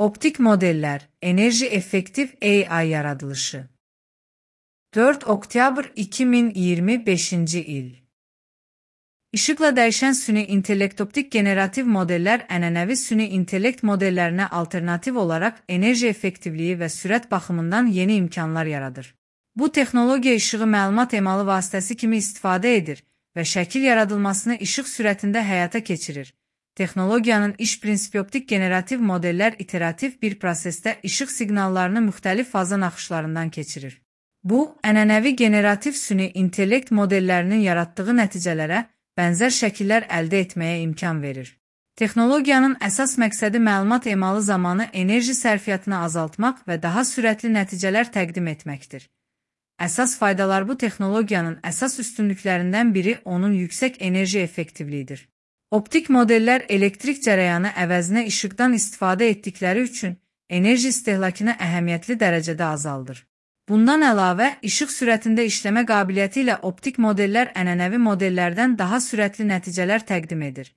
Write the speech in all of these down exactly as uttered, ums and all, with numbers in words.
Optik modeller, enerji efektif A I yaradılışı. dörd oktyabr iki min iyirmi beşinci il. İşıqla dəyişən süni intellekt optik generativ modeller ənənəvi süni intellekt modellərinə alternativ olaraq enerji effektivliyi və sürət baxımından yeni imkanlar yaradır. Bu texnologiya işığı məlumat emalı vasitəsi kimi istifadə edir və şəkil yaradılmasını işıq sürətində həyata keçirir. Texnologiyanın iş prinsipi optik generativ modeller iterativ bir prosesdə işıq siqnallarını müxtəlif faza naxışlarından keçirir. Bu, ənənəvi generativ süni intellekt modellərinin yaratdığı nəticələrə bənzər şəkillər əldə etməyə imkan verir. Texnologiyanın əsas məqsədi məlumat emalı zamanı enerji sərfiyyatını azaltmaq və daha sürətli nəticələr təqdim etməkdir. Əsas faydalar bu texnologiyanın əsas üstünlüklərindən biri onun yüksək enerji effektivliyidir. Optik modeller elektrik cərəyanı əvəzinə işıqdan istifadə etdikləri üçün enerji istehlakını əhəmiyyətli dərəcədə azaldır. Bundan əlavə, işıq sürətində işləmə qabiliyyəti ilə optik modeller ənənəvi modellərdən daha sürətli nəticələr təqdim edir.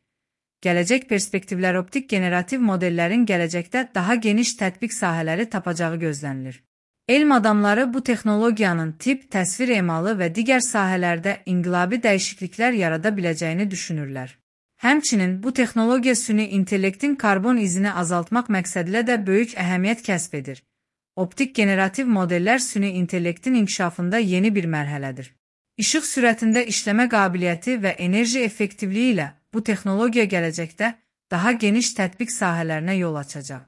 Gələcək perspektivlər optik generativ modellərin gələcəkdə daha geniş tətbiq sahələri tapacağı gözlənilir. Elm adamları bu texnologiyanın tip, təsvir emalı və digər sahələrdə inqilabi dəyişikliklər yarada biləcəyini düşünürlər. Həmçinin bu texnologiya süni intellektin karbon izini azaltmaq məqsədilə də böyük əhəmiyyət kəsb edir. Optik generativ modeller süni intellektin inkişafında yeni bir mərhələdir. İşıq sürətində işləmə qabiliyyəti və enerji effektivliyi ilə bu texnologiya gələcəkdə daha geniş tətbiq sahələrinə yol açacaq.